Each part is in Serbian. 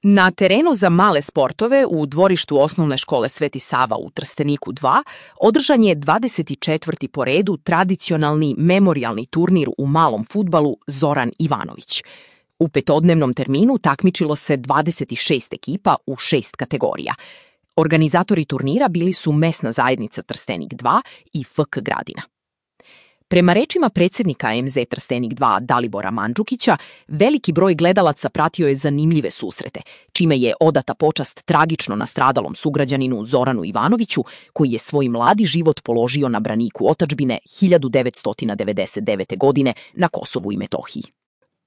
Na terenu za male sportove u dvorištu osnovne škole Sveti Sava u Trsteniku 2 održan je 24. po redu tradicionalni memorijalni turnir u malom fudbalu Zoran Ivanović. U petodnevnom terminu takmičilo se 26 ekipa u 6 kategorija. Organizatori turnira bili su mesna zajednica Trstenik 2 i FK Gradina. Prema rečima predsjednika MZ Trstenik 2 Dalibora Mandžukića, veliki broj gledalaca pratio je zanimljive susrete, čime je odata počast tragično nastradalom sugrađaninu Zoranu Ivanoviću, koji je svoj mladi život položio na braniku otadžbine 1999. godine na Kosovu i Metohiji.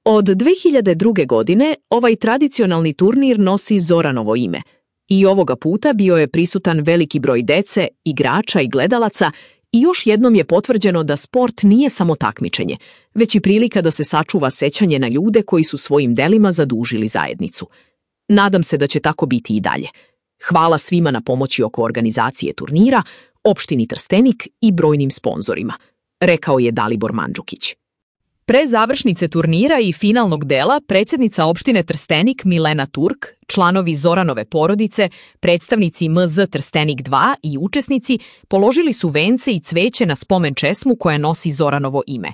Od 2002. godine ovaj tradicionalni turnir nosi Zoranovo ime. I ovoga puta bio je prisutan veliki broj dece, igrača i gledalaca, i još jednom je potvrđeno da sport nije samo takmičenje, već i prilika da se sačuva sećanje na ljude koji su svojim delima zadužili zajednicu. Nadam se da će tako biti i dalje. Hvala svima na pomoći oko organizacije turnira, opštini Trstenik i brojnim sponzorima, rekao je Dalibor Mandžukić. Pre završnice turnira i finalnog dela, predsjednica opštine Trstenik Milena Turk, članovi Zoranove porodice, predstavnici MZ Trstenik 2 i učesnici položili su vence i cveće na spomen česmu koja nosi Zoranovo ime.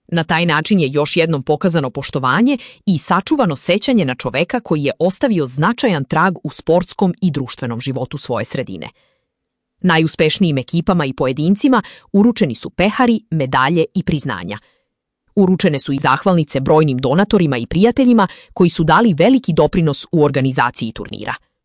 Na taj način je još jednom pokazano poštovanje i sačuvano sećanje na čoveka koji je ostavio značajan trag u sportskom i društvenom životu svoje sredine. Najuspešnijim ekipama i pojedincima uručeni su pehari, medalje i priznanja. Uručene su i zahvalnice brojnim donatorima i prijateljima koji su dali veliki doprinos u organizaciji turnira.